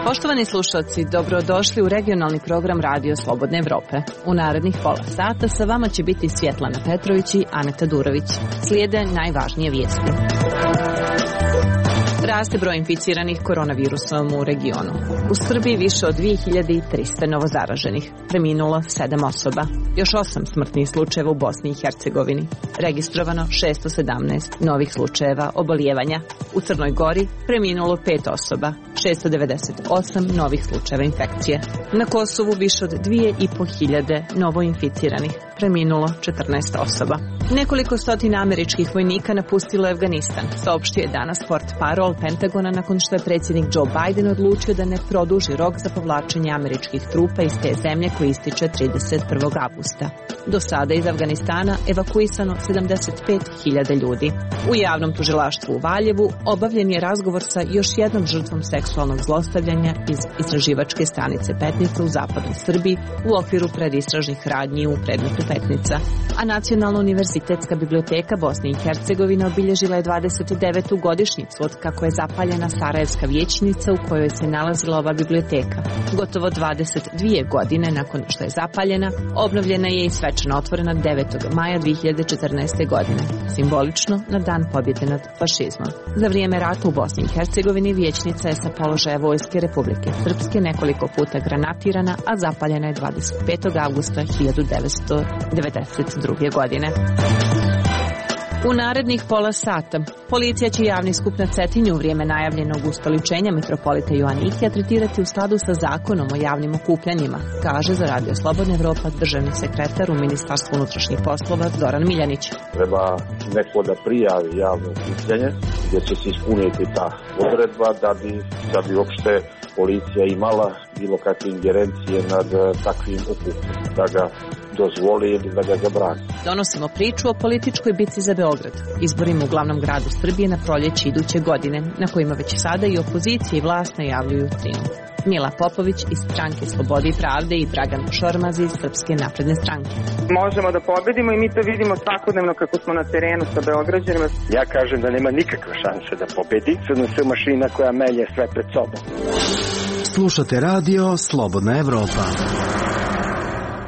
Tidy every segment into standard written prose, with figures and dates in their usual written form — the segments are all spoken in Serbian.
Poštovani slušalci, dobrodošli u regionalni program Radio Slobodne Evrope. U narednih pola sata sa vama će biti Svjetlana Petrović i Aneta Durović. Slijede najvažnije vijesti. Raste broj inficiranih koronavirusom u regionu. U Srbiji više od 2300 novozaraženih. Preminulo 7 osoba. Još 8 smrtnih slučajeva u Bosni i Hercegovini. Registrovano 617 novih slučajeva obolijevanja. U Crnoj Gori preminulo 5 osoba. 698 novih slučajeva infekcije. Na Kosovu više od 2500 novoinficiranih. Preminulo 14 osoba. Nekoliko stotina američkih vojnika napustilo je Afganistan, saopštio je danas portparol Pentagona nakon što je predsjednik Joe Biden odlučio da ne produži rok za povlačenje američkih trupa iz te zemlje koji ističe 31. avgusta. Do sada iz Afganistana evakuisano 75.000 ljudi. U javnom tužilaštvu u Valjevu obavljen je razgovor sa još jednom žrtvom seksualnog zlostavljanja iz istraživačke stanice Petnica u zapadnoj Srbiji u okviru predistražnih radnji u predmetu Petnica. A Nacionalna univerzitetska biblioteka Bosne i Hercegovine obilježila je 29. godišnjicu od kako je zapaljena Sarajevska vijećnica u kojoj se nalazila ova biblioteka. Gotovo 22 godine nakon što je zapaljena, obnovljena je i svečano otvorena 9. maja 2014. godine, simbolično na dan pobjede nad fašizmom. Za vrijeme rata u Bosni i Hercegovini vijećnica je sa položaja Vojske Republike Srpske nekoliko puta granatirana, a zapaljena je 25. avgusta 1992. godine. U narednih pola sata policija će javni skup na Cetinju u vrijeme najavljenog ustoličenja mitropolita Joanikija tretirati u skladu sa zakonom o javnim okupljanjima, kaže za Radio Slobodna Evropa državni sekretar u Ministarstvu unutrašnjih poslova Zoran Miljanić. Treba neko da prijavi javno okupljanje gdje će se ispuniti ta odredba da bi uopšte policija imala bilo kakve ingerencije nad takvim okupljanjem, da ga dozvoli ili da ga zabrani. Donosimo priču o političkoj bitci za Beograd, izborima u glavnom gradu Srbije na proljeće iduće godine, na kojima već sada i opozicija i vlast najavljuju trijumf. Mila Popović iz Stranke Slobode i Pravde i Dragan Šormaz iz Srpske napredne stranke. Možemo da pobedimo i mi to vidimo svakodnevno kako smo na terenu sa Beograđanima. Ja kažem da nema nikakve šanse da pobedi. SNS mašina koja melje sve pred sobom. Slušate Radio Slobodna Evropa.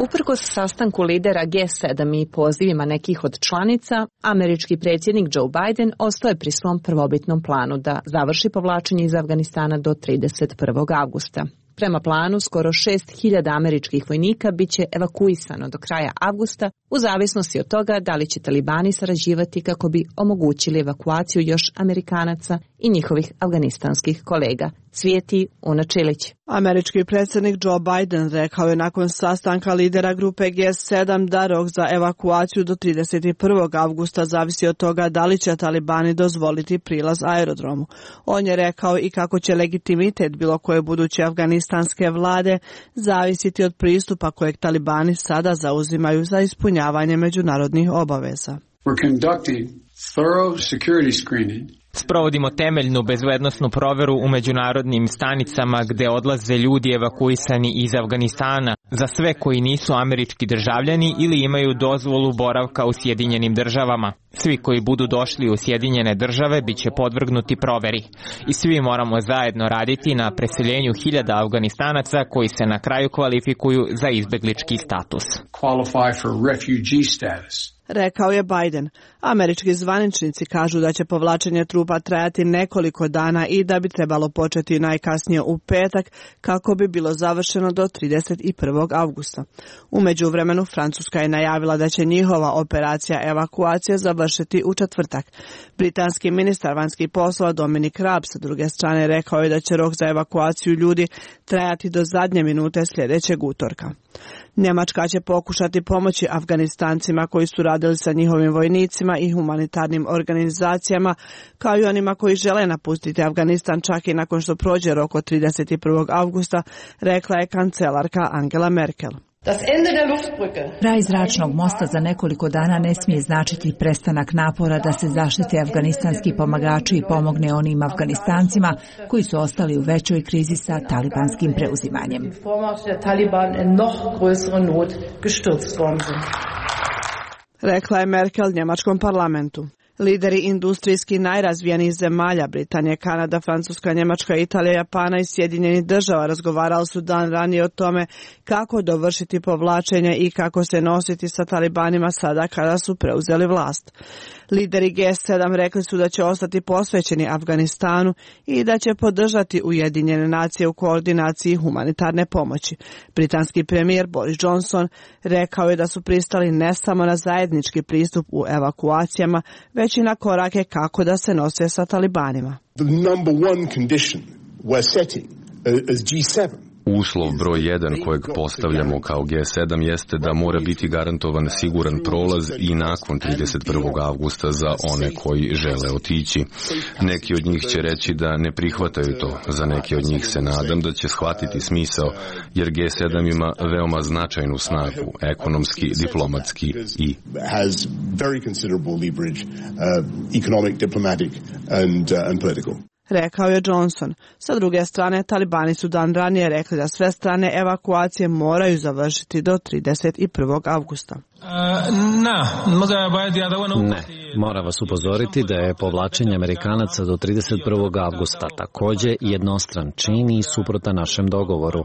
Uprkos sastanku lidera G7 i pozivima nekih od članica, američki predsjednik Joe Biden ostao je pri svom prvobitnom planu da završi povlačenje iz Afganistana do 31. avgusta. Prema planu, skoro 6.000 američkih vojnika bit će evakuisano do kraja avgusta, u zavisnosti od toga da li će talibani sarađivati kako bi omogućili evakuaciju još Amerikanaca i njihovih afganistanskih kolega. Svijeti Una Čilić. Američki predsjednik Joe Biden rekao je nakon sastanka lidera grupe G7 da rok za evakuaciju do 31. avgusta zavisi od toga da li će talibani dozvoliti prilaz aerodromu. On je rekao i kako će legitimitet bilo koje buduće afganistanske vlade zavisiti od pristupa kojeg talibani sada zauzimaju za ispunjavanje međunarodnih obaveza. We're conducting thorough security screening. Sprovodimo temeljnu bezbednosnu proveru u međunarodnim stanicama gde odlaze ljudi evakuisani iz Afganistana za sve koji nisu američki državljani ili imaju dozvolu boravka u Sjedinjenim državama. Svi koji budu došli u Sjedinjene države bit će podvrgnuti proveri. I svi moramo zajedno raditi na preseljenju 1000 Afganistanaca koji se na kraju kvalifikuju za izbeglički status. Qualify for refugee status. Rekao je Biden. Američki zvaničnici kažu da će povlačenje trupa trajati nekoliko dana i da bi trebalo početi najkasnije u petak kako bi bilo završeno do 31. avgusta. U međuvremenu Francuska je najavila da će njihova operacija evakuacije završiti u četvrtak. Britanski ministar vanjskih poslova Dominic Raab sa druge strane rekao je da će rok za evakuaciju ljudi trajati do zadnje minute sljedećeg utorka. Njemačka će pokušati pomoći Afganistancima koji su radili sa njihovim vojnicima i humanitarnim organizacijama, kao i onima koji žele napustiti Afganistan čak i nakon što prođe rok od 31. avgusta, rekla je kancelarka Angela Merkel. Kraj zračnog mosta za nekoliko dana ne smije značiti prestanak napora da se zaštite afganistanski pomagači i pomogne onim Afganistancima koji su ostali u većoj krizi sa talibanskim preuzimanjem. rekla je Merkel njemačkom parlamentu. Lideri industrijski najrazvijenijih zemalja, Britanije, Kanada, Francuska, Njemačka, Italija, Japana i Sjedinjenih država razgovarali su dan ranije o tome kako dovršiti povlačenje i kako se nositi sa talibanima sada kada su preuzeli vlast. Lideri G7 rekli su da će ostati posvećeni Afganistanu i da će podržati Ujedinjene nacije u koordinaciji humanitarne pomoći. Britanski premijer Boris Johnson rekao je da su pristali ne samo na zajednički pristup u evakuacijama, već i na korake kako da se nose sa talibanima. Uslov broj 1 kojeg postavljamo kao G7 jeste da mora biti garantovan siguran prolaz i nakon 31. avgusta za one koji žele otići. Neki od njih će reći da ne prihvataju to, za neki od njih se nadam da će shvatiti smisao, jer G7 ima veoma značajnu snagu, ekonomski, diplomatski i rekao je Johnson. Sa druge strane, talibani su dan ranije rekli da sve strane evakuacije moraju završiti do 31. avgusta. Ne, moram vas upozoriti da je povlačenje Amerikanaca do 31. avgusta također jednostran čin i suprotan našem dogovoru.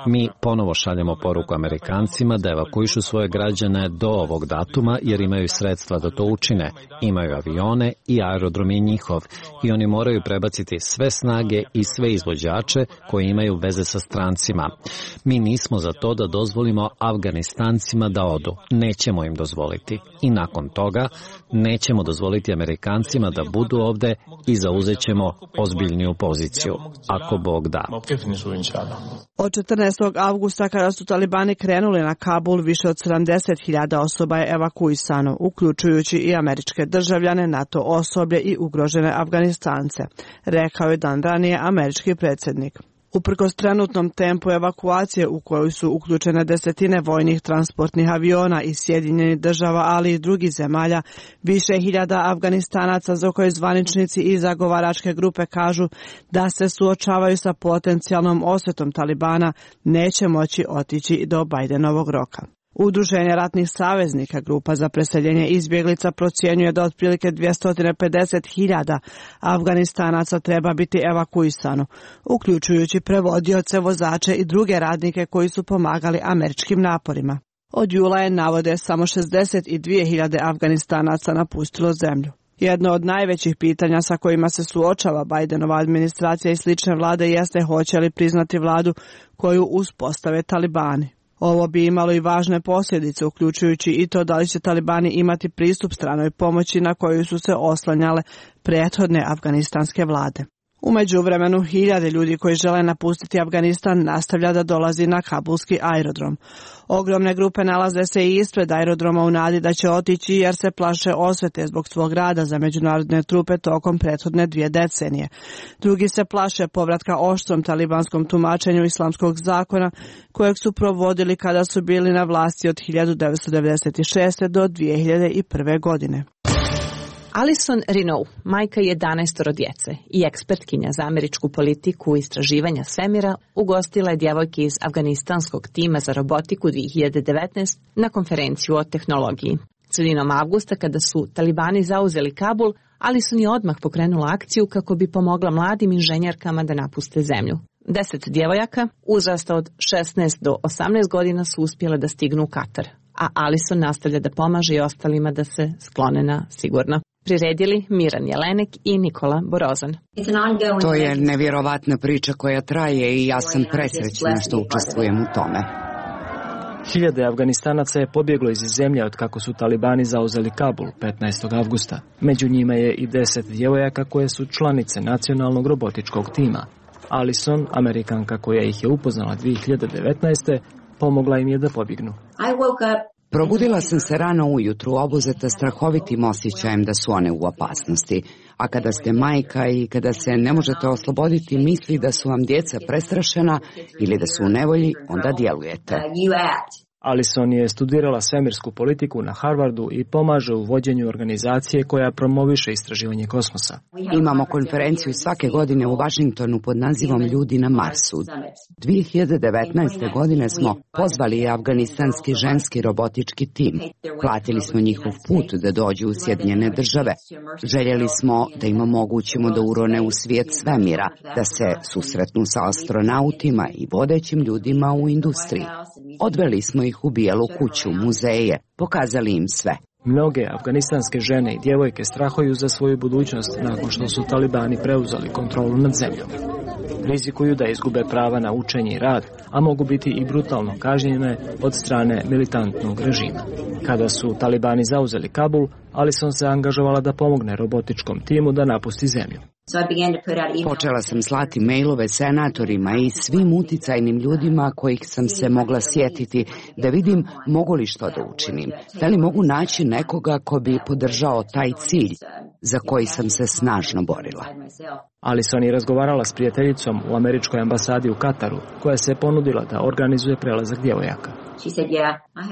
Mi ponovo šaljemo poruku Amerikancima da evakuišu svoje građane do ovog datuma jer imaju sredstva da to učine. Imaju avione i aerodrom je njihov i oni moraju prebaciti sve snage i sve izvođače koji imaju veze sa strancima. Mi nismo za to da dozvolimo Afganistancima da odu. Nećemo im dozvoliti. I nakon toga nećemo dozvoliti Amerikancima da budu ovde i zauzet ćemo ozbiljniju poziciju, ako Bog da. Od 14. avgusta kada su talibani krenuli na Kabul, više od 70.000 osoba je evakuisano, uključujući i američke državljane, NATO osoblje i ugrožene Afganistance, rekao je dan ranije američki predsjednik. Uprkos trenutnom tempu evakuacije u koju su uključene desetine vojnih transportnih aviona iz Sjedinjenih država, ali i drugih zemalja, više hiljada Afganistanaca za koje zvaničnici i zagovaračke grupe kažu da se suočavaju sa potencijalnom osvetom talibana, neće moći otići do Bajdenovog roka. Udruženje ratnih saveznika, grupa za preseljenje izbjeglica, procjenjuje da otprilike 250.000 Afganistanaca treba biti evakuisano, uključujući prevodioce, vozače i druge radnike koji su pomagali američkim naporima. Od jula je, navode, samo 62.000 Afganistanaca napustilo zemlju. Jedno od najvećih pitanja sa kojima se suočava Bajdenova administracija i slične vlade jeste hoće li priznati vladu koju uspostave talibani. Ovo bi imalo i važne posljedice, uključujući i to da li će talibani imati pristup stranoj pomoći na koju su se oslanjale prethodne afganistanske vlade. U međuvremenu, hiljade ljudi koji žele napustiti Afganistan nastavlja da dolazi na kabulski aerodrom. Ogromne grupe nalaze se i ispred aerodroma u nadi da će otići jer se plaše osvete zbog svog rada za međunarodne trupe tokom prethodne 2 decenije. Drugi se plaše povratka oštrom talibanskom tumačenju islamskog zakona kojeg su provodili kada su bili na vlasti od 1996. do 2001. godine. Alison Renault, majka 11 djece i ekspertkinja za američku politiku i istraživanja svemira, ugostila je djevojke iz afganistanskog tima za robotiku 2019 na konferenciju o tehnologiji. Sredinom avgusta, kada su talibani zauzeli Kabul, Alison je odmah pokrenula akciju kako bi pomogla mladim inženjerkama da napuste zemlju. 10 djevojaka, uzrasta od 16 do 18 godina, su uspjele da stignu u Katar, a Alison nastavlja da pomaže i ostalima da se sklone na sigurno. Priredili Miran Jelenek i Nikola Borozan. To je nevjerovatna priča koja traje i ja sam presrećna što učestvujem u tome. Hiljade Afganistanaca je pobjeglo iz zemlje od kako su talibani zauzeli Kabul 15. avgusta. Među njima je i 10 djevojaka koje su članice nacionalnog robotičkog tima. Alison, Amerikanka koja ih je upoznala 2019. pomogla im je da pobjegnu. Probudila sam se rano ujutru, obuzeta strahovitim osjećajem da su one u opasnosti. A kada ste majka i kada se ne možete osloboditi misli da su vam djeca prestrašena ili da su u nevolji, onda djelujete. Alison je studirala svemirsku politiku na Harvardu i pomaže u vođenju organizacije koja promoviše istraživanje kosmosa. Imamo konferenciju svake godine u Vašingtonu pod nazivom Ljudi na Marsu. 2019. godine smo pozvali afganistanski ženski robotički tim. Platili smo njihov put da dođu u Sjedinjene Države. Željeli smo da im omogućimo da urone u svijet svemira, da se susretnu sa astronautima i vodećim ljudima u industriji. Odveli smo ih u Bijelu kuću, muzeje, pokazali im sve. Mnoge afganistanske žene i djevojke strahuju za svoju budućnost nakon što su talibani preuzeli kontrolu nad zemljom. Rizikuju da izgube prava na učenje i rad, a mogu biti i brutalno kažnjene od strane militantnog režima. Kada su talibani zauzeli Kabul, Alison se angažovala da pomogne robotičkom timu da napusti zemlju. Počela sam slati mailove senatorima i svim uticajnim ljudima kojih sam se mogla sjetiti da vidim mogu li što da učinim. Da li mogu naći nekoga ko bi podržao taj cilj za koji sam se snažno borila. Alison je razgovarala s prijateljicom u američkoj ambasadi u Kataru, koja se ponudila da organizuje prelazak djevojaka.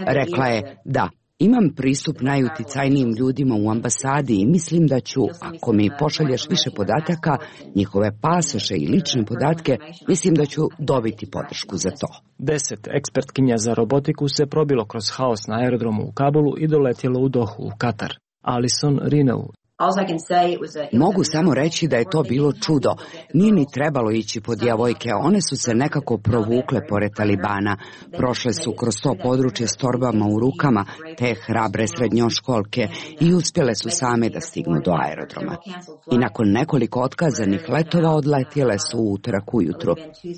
Rekla je da. Imam pristup najuticajnijim ljudima u ambasadi i mislim da ću, ako mi pošalješ više podataka, njihove pasoše i lične podatke, mislim da ću dobiti podršku za to. 10 ekspertkinja za robotiku se probilo kroz haos na aerodromu u Kabulu i doletjelo u Dohu u Katar. Alison Rineu. Mogu samo reći da je to bilo čudo. Nije ni trebalo ići po djevojke, one su se nekako provukle pored talibana. Prošle su kroz to područje s torbama u rukama, te hrabre srednjoškolke, i uspjele su same da stignu do aerodroma. I nakon nekoliko otkazanih letova odletjele su u utorak ujutru.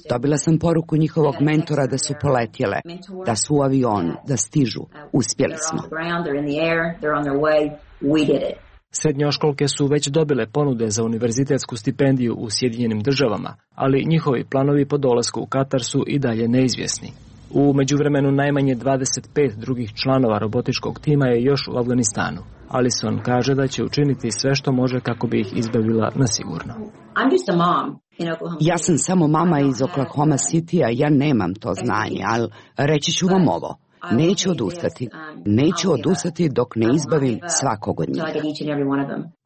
Dobila sam poruku njihovog mentora da su poletjele, da su u avionu, da stižu. Uspjeli smo. Srednjoškolke su već dobile ponude za univerzitetsku stipendiju u Sjedinjenim Državama, ali njihovi planovi po dolasku u Katar su i dalje neizvjesni. U međuvremenu najmanje 25 drugih članova robotičkog tima je još u Afganistanu. Alison kaže da će učiniti sve što može kako bi ih izbavila na sigurno. Ja sam samo mama iz Oklahoma Citya, ja nemam to znanje, ali reći ću vam ovo. Neću odustati dok ne izbavim svakog od njih.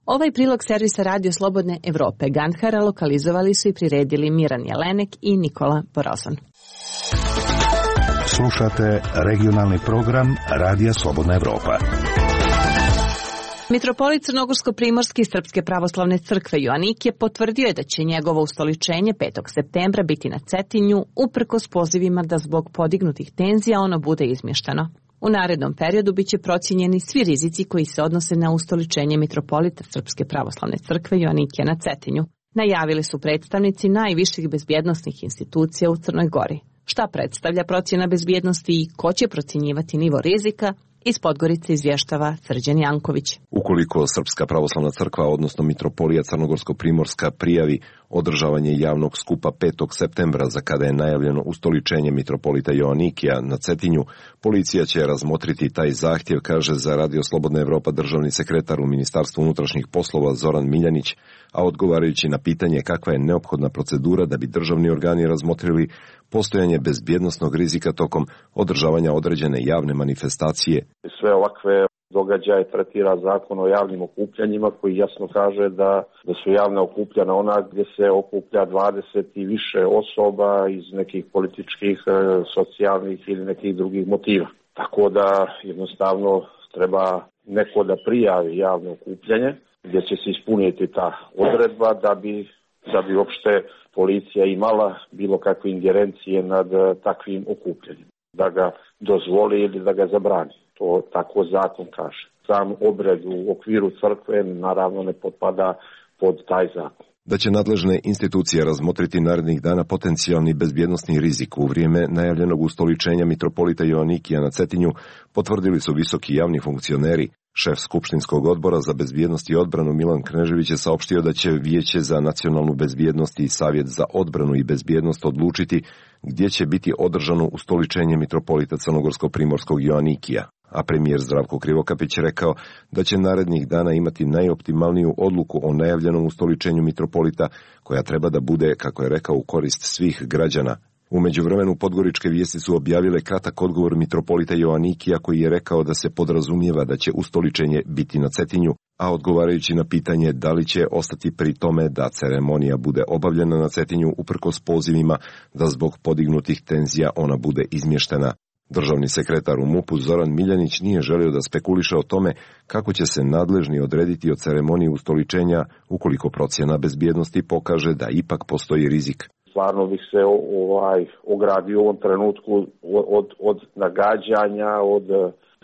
Ovaj prilog servisa Radio Slobodne Evrope Gandhara lokalizovali su i priredili Miran Jelenek i Nikola Borozan. Slušate regionalni program Radija Slobodna Evropa. Mitropolit Crnogorsko-primorski Srpske pravoslavne crkve Joanikije potvrdio je da će njegovo ustoličenje 5. septembra biti na Cetinju, uprkos pozivima da zbog podignutih tenzija ono bude izmješteno. U narednom periodu biće procijenjeni svi rizici koji se odnose na ustoličenje mitropolita Srpske pravoslavne crkve Joanikije na Cetinju, najavili su predstavnici najviših bezbjednosnih institucija u Crnoj Gori. Šta predstavlja procjena bezbjednosti i ko će procjenjivati nivo rizika? Iz Podgorice izvještava Srđan Janković. Ukoliko Srpska pravoslavna crkva, odnosno Mitropolija Crnogorsko-primorska, prijavi održavanje javnog skupa 5. septembra za kada je najavljeno ustoličenje mitropolita Joanikija na Cetinju, policija će razmotriti taj zahtjev, kaže za Radio Slobodna Evropa državni sekretar u Ministarstvu unutrašnjih poslova Zoran Miljanić, a odgovarajući na pitanje kakva je neophodna procedura da bi državni organi razmotrili postojanje bezbjednosnog rizika tokom održavanja određene javne manifestacije. Sve ovakve događaje tretira zakon o javnim okupljanjima koji jasno kaže da su javna okupljanja ona gdje se okuplja 20 i više osoba iz nekih političkih, socijalnih ili nekih drugih motiva. Tako da jednostavno treba neko da prijavi javno okupljanje gdje će se ispuniti ta odredba da bi uopšte policija imala bilo kakve ingerencije nad takvim okupljanjem. Da ga dozvoli ili da ga zabrani. To tako zakon kaže. Sam obred u okviru crkve naravno ne potpada pod taj zakon. Da će nadležne institucije razmotriti narednih dana potencijalni bezbjednosni rizik u vrijeme najavljenog ustoličenja mitropolita Joanikija na Cetinju, potvrdili su visoki javni funkcioneri. Šef Skupštinskog odbora za bezbjednost i odbranu Milan Knežević je saopštio da će Vijeće za nacionalnu bezbjednost i Savjet za odbranu i bezbjednost odlučiti gdje će biti održano ustoličenje mitropolita Crnogorsko-primorskog Joanikija. A premijer Zdravko Krivokapić rekao da će narednih dana imati najoptimalniju odluku o najavljenom ustoličenju mitropolita koja treba da bude, kako je rekao, u korist svih građana. U međuvremenu podgoričke vijesti su objavile kratak odgovor mitropolita Joanikija koji je rekao da se podrazumijeva da će ustoličenje biti na Cetinju, a odgovarajući na pitanje da li će ostati pri tome da ceremonija bude obavljena na Cetinju uprkos pozivima da zbog podignutih tenzija ona bude izmještena. Državni sekretar u MUP-u Zoran Miljanić nije želio da spekuliše o tome kako će se nadležni odrediti o ceremoniji ustoličenja ukoliko procjena bezbjednosti pokaže da ipak postoji rizik. Stvarno bih se ogradio u ovom trenutku od nagađanja, od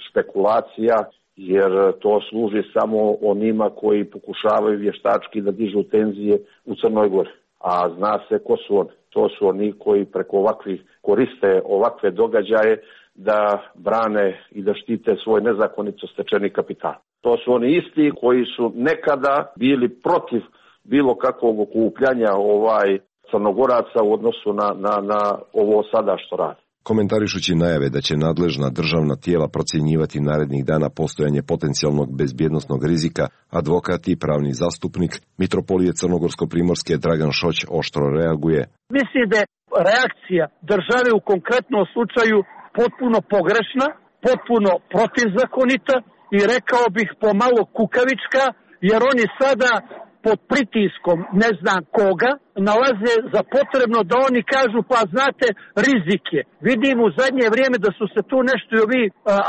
špekulacija, jer to služi samo onima koji pokušavaju vještački da dižu tenzije u Crnoj Gori. A zna se ko su oni. To su oni koji preko ovakvih koriste ovakve događaje da brane i da štite svoj nezakonito stečeni kapital. To su oni isti koji su nekada bili protiv bilo kakvog okupljanja Crnogoraca u odnosu na ovo sada što radi. Komentarišući najave da će nadležna državna tijela procjenjivati narednih dana postojanje potencijalnog bezbjednosnog rizika, advokat i pravni zastupnik mitropolije Crnogorsko-primorske Dragan Šoć oštro reaguje. Mislim da je reakcija države u konkretnom slučaju potpuno pogrešna, potpuno protivzakonita i rekao bih pomalo kukavička, jer oni sada pod pritiskom ne znam koga nalaze za potrebno da oni kažu pa znate rizik je. Vidim u zadnje vrijeme da su se tu nešto i ovi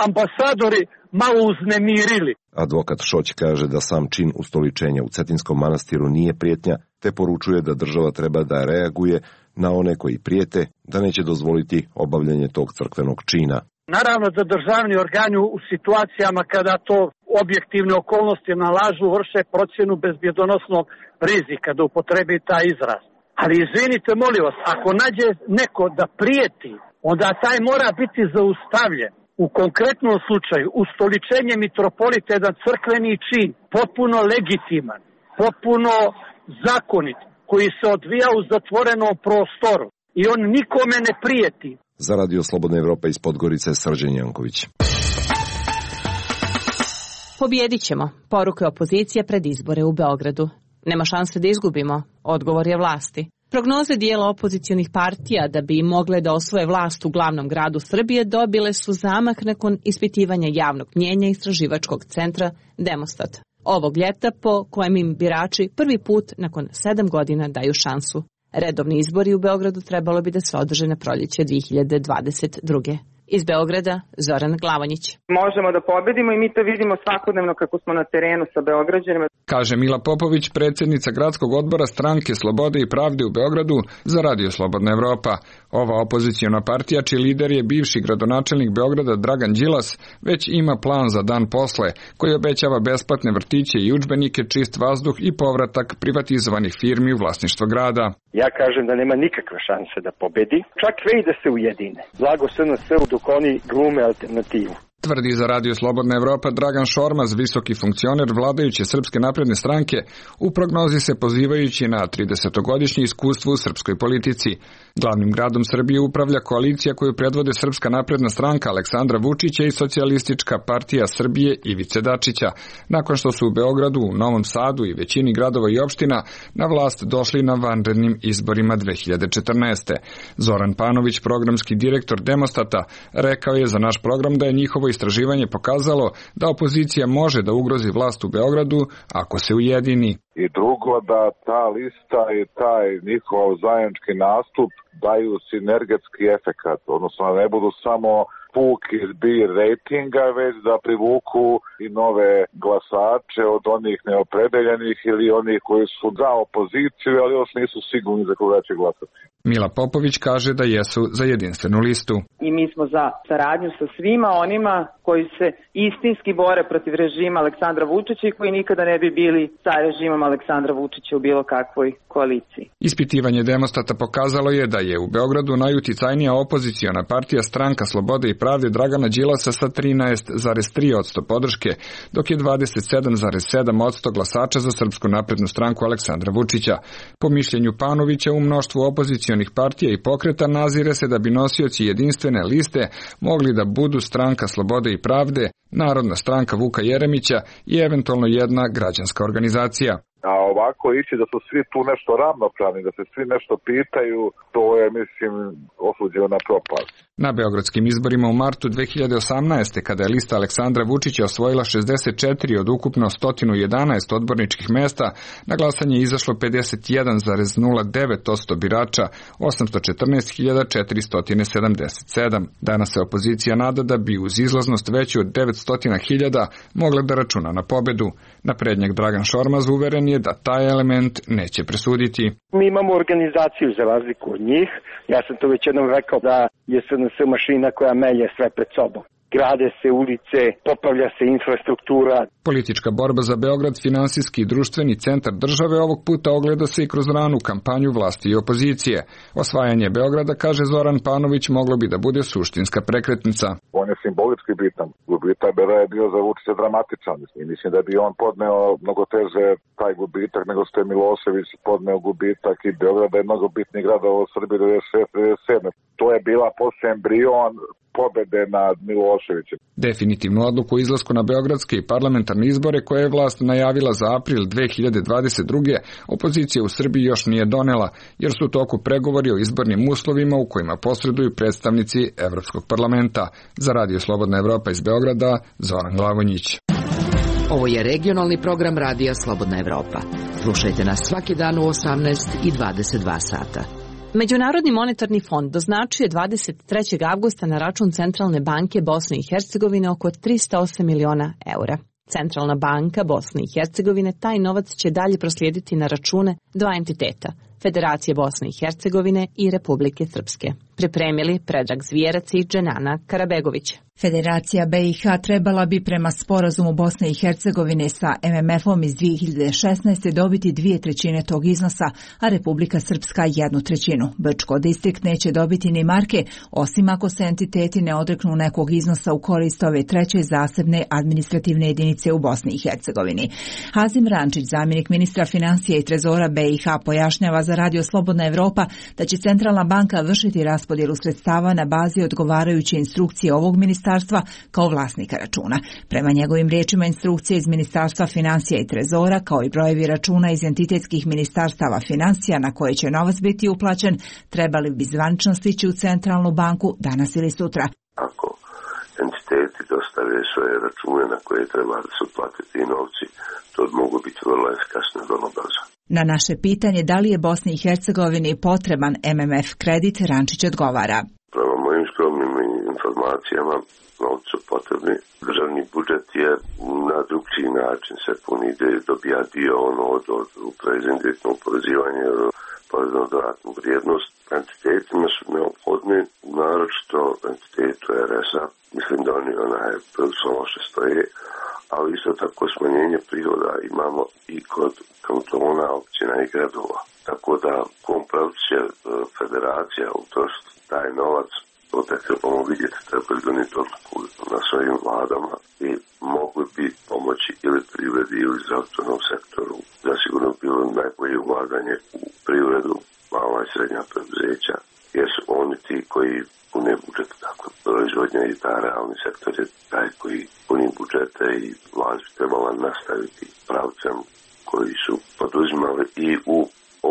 ambasadori malo uznemirili. Advokat Šoć kaže da sam čin ustoličenja u Cetinskom manastiru nije prijetnja, te poručuje da država treba da reaguje na one koji prijete, da neće dozvoliti obavljanje tog crkvenog čina. Naravno da državni organi u situacijama kada to objektivne okolnosti nalažu vrše procjenu bezbjedonosnog rizika, da upotrebi taj izraz. Ali izvinite, molim vas, ako nađe neko da prijeti, onda taj mora biti zaustavljen. U konkretnom slučaju, ustoličenje mitropolita je jedan crkveni čin, potpuno legitiman, potpuno zakonit, koji se odvija u zatvorenom prostoru i on nikome ne prijeti. Za Radio Slobodna Evropa iz Podgorice, Srđan Janković. Pobjedit ćemo, poruka opozicije pred izbore u Beogradu. Nema šanse da izgubimo, odgovor je vlasti. Prognoze dijela opozicionih partija da bi mogle da osvoje vlast u glavnom gradu Srbije dobile su zamah nakon ispitivanja javnog mnjenja istraživačkog centra Demostat. Ovog ljeta po kojem im birači prvi put nakon 7 godina daju šansu. Redovni izbori u Beogradu trebalo bi da se održe na proljeće 2022. Iz Beograda, Zoran Glavonjić. Možemo da pobedimo i mi to vidimo svakodnevno kako smo na terenu sa Beograđanima. Kaže Mila Popović, predsjednica gradskog odbora Stranke Slobode i Pravde u Beogradu za Radio Slobodna Evropa. Ova opoziciona partija, čiji lider je bivši gradonačelnik Beograda Dragan Đilas, već ima plan za dan posle, koji obećava besplatne vrtiće i udžbenike, čist vazduh i povratak privatizovanih firmi u vlasništvo grada. Ja kažem da nema nikakve šanse da pobedi, čak i da se ujedine. Blago SNS dok oni glume alternativu. Tvrdi za Radio Slobodna Evropa Dragan Šormaz, visoki funkcioner vladajuće Srpske napredne stranke, u prognozi se pozivajući na 30-godišnje iskustvo u srpskoj politici. Glavnim gradom Srbije upravlja koalicija koju predvode Srpska napredna stranka Aleksandra Vučića i Socijalistička partija Srbije Ivice Dačića, nakon što su u Beogradu, u Novom Sadu i većini gradova i opština na vlast došli na vanrednim izborima 2014. Zoran Panović, programski direktor Demostata, rekao je za naš program da je njihovo istraživanje pokazalo da opozicija može da ugrozi vlast u Beogradu ako se ujedini. I drugo, da ta lista i taj njihov zajednički nastup daju sinergetski efekat, odnosno da ne budu samo puki zbir rejtinga, već da privuku i nove glasače od onih neopredeljenih ili onih koji su za opoziciju, ali još nisu sigurni za koga će glasati. Mila Popović kaže da jesu za jedinstvenu listu. I mi smo za saradnju sa svima onima koji se istinski bore protiv režima Aleksandra Vučića i koji nikada ne bi bili sa režimom Aleksandra Vučića u bilo kakvoj koaliciji. Ispitivanje Demostata pokazalo je da je u Beogradu najuticajnija opoziciona partija Stranka Slobode i Pravde Dragana Đilasa sa 13,3% podrške, dok je 27,7% glasača za Srpsku naprednu stranku Aleksandra Vučića. Po mišljenju Panovića, u mnoštvu opozicionih partija i pokreta nazire se da bi nosioci jedinstvene liste mogli da budu Stranka Slobode i Pravde, Narodna stranka Vuka Jeremića i eventualno jedna građanska organizacija. A ovako ići da su svi tu nešto ravnopravni, da se svi nešto pitaju, to je, mislim, osuđeno na propast. Na beogradskim izborima u martu 2018. kada je lista Aleksandra Vučića osvojila 64 od ukupno 111 odborničkih mesta, na glasanje je izašlo 51,09% birača, 814.477. Danas se opozicija nada da bi uz izlaznost veću od 900.000 mogla da računa na pobedu. Naprednjak Dragan Šormaz uveren je da taj element neće presuditi. Mi imamo organizaciju za razliku od njih. Ja sam to već jednom rekao da je SNS mašina koja melje sve pred sobom. Grade se ulice, popravlja se infrastruktura. Politička borba za Beograd, finansijski i društveni centar države, ovog puta ogleda se i kroz ranu kampanju vlasti i opozicije. Osvajanje Beograda, kaže Zoran Panović, moglo bi da bude suštinska prekretnica. On je simbolički bitan. Gubitak Bera je bio za Vučića dramatičan. Mislim da bi on podneo mnogo teže taj gubitak nego što je Milošević podneo gubitak i Beograd je mnogo bitniji grad u Srbiji 96-97. To je bila posle embrion pobede nad Miloševićem. Definitivnu odluku o izlasku na beogradske i parlamentarne izbore koje je vlast najavila za april 2022. opozicija u Srbiji još nije donela, jer su u toku pregovori o izbornim uslovima u kojima posreduju predstavnici Evropskog parlamenta. Za Radio Slobodna Evropa iz Beograda, Zoran Glavonjić. Ovo je regionalni program Radija Slobodna Evropa. Slušajte nas svaki dan u 18 i 22 sata. Međunarodni monetarni fond doznačuje 23. avgusta na račun Centralne banke Bosne i Hercegovine oko 308 miliona eura. Centralna banka Bosne i Hercegovine taj novac će dalje proslijediti na račune dva entiteta, Federacije Bosne i Hercegovine i Republike Srpske. Pripremili Predrag Zvijerac i Dženana Karabegović. Federacija BiH trebala bi prema sporazumu Bosne i Hercegovine sa MMF-om iz 2016. dobiti 2/3 tog iznosa, a Republika Srpska 1/3. Brčko distrikt neće dobiti ni marke, osim ako se entiteti ne odreknu nekog iznosa u korist ove treće zasebne administrativne jedinice u Bosni i Hercegovini. Hazim Rančić, zamjenik ministra financija i trezora BiH, pojašnjava za Radio Slobodna Evropa da će Centralna banka vršiti raspodjelu sredstava na bazi odgovarajuće instrukcije ovog ministarstva kao vlasnika računa. Prema njegovim riječima, instrukcije iz Ministarstva financija i trezora, kao i brojevi računa iz entitetskih ministarstava financija na koje će novac biti uplaćen, trebali bi zvanično stići u Centralnu banku danas ili sutra. Ako entiteti dostave svoje račune na koje treba da se uplate ti novci, to mogu biti vrlo efikasno i vrlo brzo. Na naše pitanje da li je Bosni i Hercegovini potreban MMF kredit, Rančić odgovara. Prema mojim skromnim informacijama, novci su potrebni. Državni budžet je na drugčiji način se puni, dobija dio od uprave za indirektno oporezivanje, porezno dodatnu vrijednost. Entitetima su neophodni, naročito entitetu RS-a. Mislim da oni prilično loše stoje, ali isto tako smanjenje prihoda imamo i kod kantona, općina i gradova. Tako da kompravci će federacija utrošiti taj novac, to tek trebamo vidjeti, treba donijeti odluku na svojim vladama i mogli bi pomoći ili privredi ili zdravstvenom sektoru. Zasigurno bilo najbolje ulaganje u privredu, mala i srednja preduzeća, jer su oni ti koji pune budžete, dakle proizvodnja i ta realni sektor je taj koji puni budžete i vlast bi trebala nastaviti pravcem koji su poduzimali i u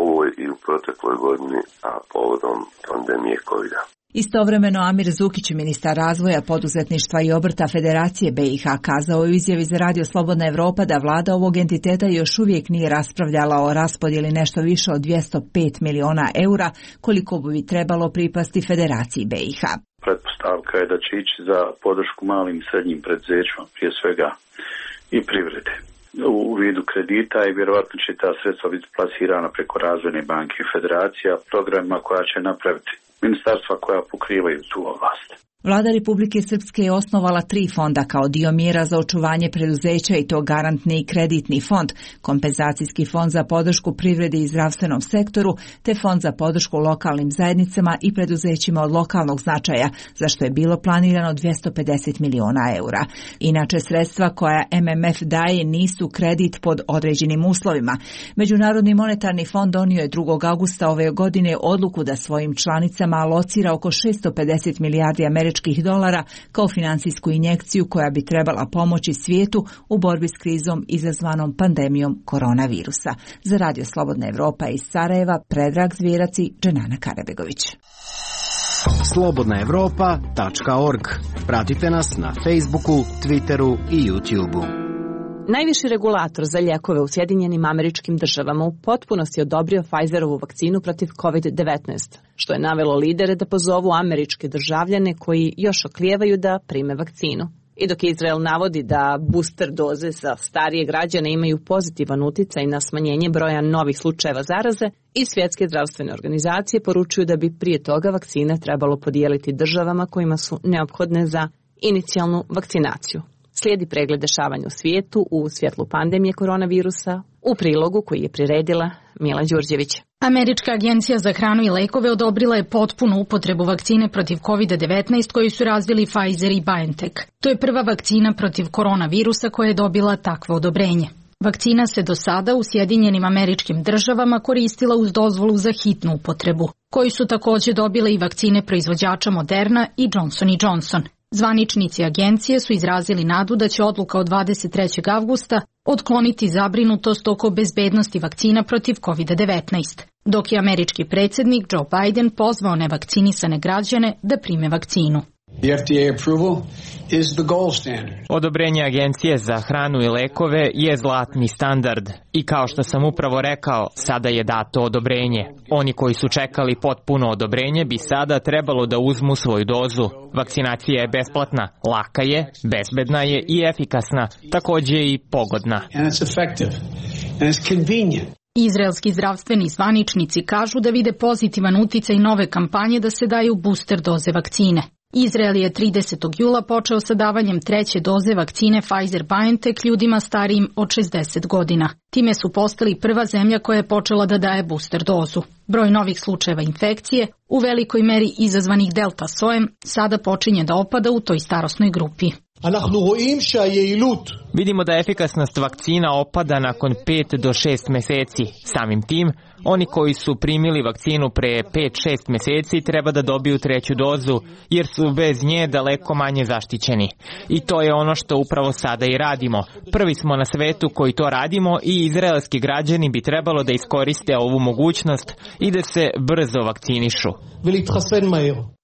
ovoj i u protekloj godini, a povodom pandemije COVID-a. Istovremeno Amir Zukić, ministar razvoja, poduzetništva i obrta Federacije BiH, kazao je u izjavi za Radio Slobodna Evropa da vlada ovog entiteta još uvijek nije raspravljala o raspodjeli nešto više od 205 miliona eura, koliko bi trebalo pripasti Federaciji BiH. Pretpostavka je da će ići za podršku malim i srednjim preduzećima, prije svega i privrede, u vidu kredita i vjerovatno će ta sredstva biti plasirana preko Razvojne banke i Federacija programima koja će napraviti ministarstva koja pokrivaju tu oblast. Vlada Republike Srpske je osnovala 3 fonda kao dio mjera za očuvanje preduzeća i to garantni i kreditni fond, kompenzacijski fond za podršku privredi i zdravstvenom sektoru, te fond za podršku lokalnim zajednicama i preduzećima od lokalnog značaja, za što je bilo planirano 250 miliona eura. Inače, sredstva koja MMF daje nisu kredit pod određenim uslovima. Međunarodni monetarni fond donio je 2. augusta ove godine odluku da svojim članicama alocira oko 650 milijardi američkih američkih dolara kao finansijsku injekciju koja bi trebala pomoći svijetu u borbi s krizom izazvanom pandemijom koronavirusa. Za Radio Slobodna Evropa iz Sarajeva, Predrag Zvjerac i Dženana Karabegović. slobodnaevropa.org. Pratite nas na Facebooku, Twitteru i YouTubeu. Najviši regulator za lijekove u Sjedinjenim Američkim Državama u potpunosti odobrio Pfizerovu vakcinu protiv COVID-19, što je navelo lidere da pozovu američke državljane koji još oklijevaju da prime vakcinu. I dok Izrael navodi da booster doze za starije građane imaju pozitivan uticaj na smanjenje broja novih slučajeva zaraze, i Svjetske zdravstvene organizacije poručuju da bi prije toga vakcine trebalo podijeliti državama kojima su neophodne za inicijalnu vakcinaciju. Slijedi pregled dešavanja u svijetu u svjetlu pandemije koronavirusa u prilogu koji je priredila Mila Đurđević. Američka agencija za hranu i lekove odobrila je potpunu upotrebu vakcine protiv COVID-19 koju su razvili Pfizer i BioNTech. To je prva vakcina protiv koronavirusa koja je dobila takvo odobrenje. Vakcina se do sada u Sjedinjenim Američkim Državama koristila uz dozvolu za hitnu upotrebu, koju su također dobile i vakcine proizvođača Moderna i Johnson & Johnson. Zvaničnici agencije su izrazili nadu da će odluka od 23. avgusta otkloniti zabrinutost oko bezbednosti vakcina protiv COVID-19, dok je američki predsjednik Joe Biden pozvao nevakcinisane građane da prime vakcinu. The FDA approval is the gold standard. Odobrenje Agencije za hranu i lekove je zlatni standard i kao što sam upravo rekao, sada je dato odobrenje. Oni koji su čekali potpuno odobrenje bi sada trebalo da uzmu svoju dozu. Vakcinacija je besplatna, laka je, bezbedna je i efikasna, također i pogodna. And it's effective. And it's convenient. Izraelski zdravstveni zvaničnici kažu da vide pozitivan uticaj nove kampanje da se daju booster doze vakcine. Izrael je 30. jula počeo sa davanjem treće doze vakcine Pfizer-BioNTech ljudima starijim od 60 godina. Time su postali prva zemlja koja je počela da daje booster dozu. Broj novih slučajeva infekcije, u velikoj meri izazvanih delta sojem, sada počinje da opada u toj starosnoj grupi. Vidimo da efikasnost vakcina opada nakon 5 do 6 meseci. Samim tim, oni koji su primili vakcinu pre 5-6 meseci treba da dobiju treću dozu, jer su bez nje daleko manje zaštićeni. I to je ono što upravo sada i radimo. Prvi smo na svetu koji to radimo i izraelski građani bi trebalo da iskoriste ovu mogućnost i da se brzo vakcinišu.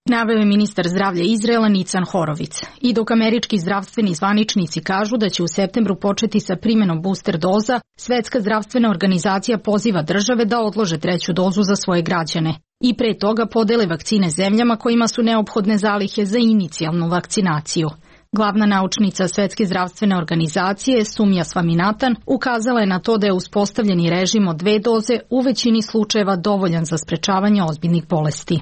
Naveo je ministar zdravlja Izraela Nican Horovic. I dok američki zdravstveni zvaničnici kažu da će u septembru početi sa primjenom booster doza, Svetska zdravstvena organizacija poziva države da odlože treću dozu za svoje građane i pre toga podele vakcine zemljama kojima su neophodne zalihe za inicijalnu vakcinaciju. Glavna naučnica Svetske zdravstvene organizacije, Sumja Svaminatan, ukazala je na to da je uspostavljeni režim od 2 doze u većini slučajeva dovoljan za sprečavanje ozbiljnih bolesti.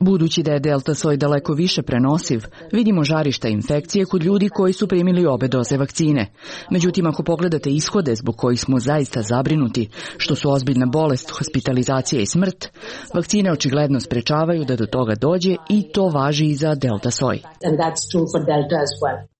Budući da je delta soj daleko više prenosiv, vidimo žarišta infekcije kod ljudi koji su primili obe doze vakcine. Međutim, ako pogledate ishode zbog kojih smo zaista zabrinuti, što su ozbiljna bolest, hospitalizacija i smrt, vakcine očigledno sprečavaju da do toga dođe i to važi i za delta soj.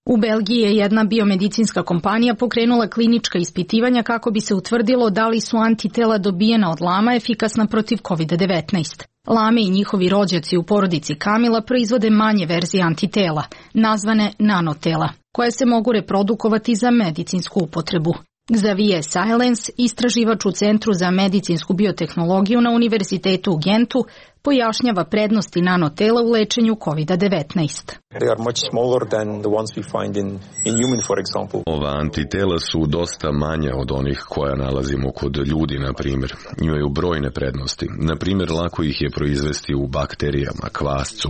U Belgiji je jedna biomedicinska kompanija pokrenula klinička ispitivanja kako bi se utvrdilo da li su antitela dobijena od lama efikasna protiv COVID-19. Lame i njihovi rođaci u porodici Kamila proizvode manje verzije antitela, nazvane nanotela, koje se mogu reprodukovati za medicinsku upotrebu. Xavier Silence, istraživač u Centru za medicinsku biotehnologiju na Univerzitetu u Gentu, pojašnjava prednosti nanotela u lečenju COVID-19. Ova antitela su dosta manja od onih koja nalazimo kod ljudi, na primjer. Imaju brojne prednosti. Na primjer, lako ih je proizvesti u bakterijama, kvascu,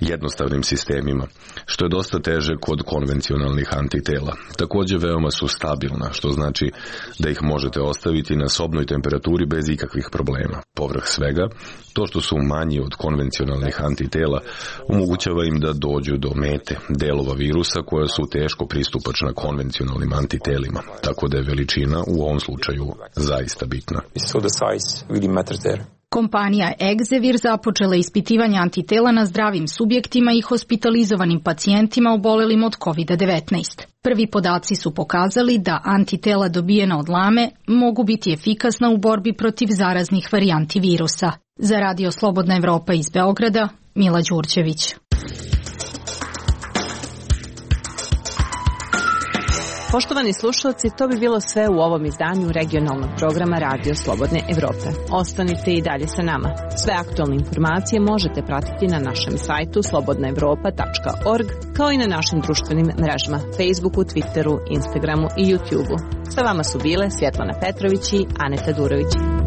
jednostavnim sistemima, što je dosta teže kod konvencionalnih antitela. Također veoma su stabilna, što znači da ih možete ostaviti na sobnoj temperaturi bez ikakvih problema. Povrh svega, to što su manji od konvencionalnih antitela omogućava im da dođu do mete, delova virusa koja su teško pristupačna konvencionalnim antitelima, tako da je veličina u ovom slučaju zaista bitna. Kompanija Exevir započela ispitivanje antitela na zdravim subjektima i hospitalizovanim pacijentima obolelim od COVID-19. Prvi podaci su pokazali da antitela dobijena od lame mogu biti efikasna u borbi protiv zaraznih varijanti virusa. Za Radio Slobodna Evropa iz Beograda, Mila Đurđević. Poštovani slušalci, to bi bilo sve u ovom izdanju regionalnog programa Radio Slobodne Evrope. Ostanite i dalje sa nama. Sve aktualne informacije možete pratiti na našem sajtu slobodnaevropa.org, kao i na našim društvenim mrežama Facebooku, Twitteru, Instagramu i YouTubeu. Sa vama su bile Svjetlana Petrović i Aneta Durović.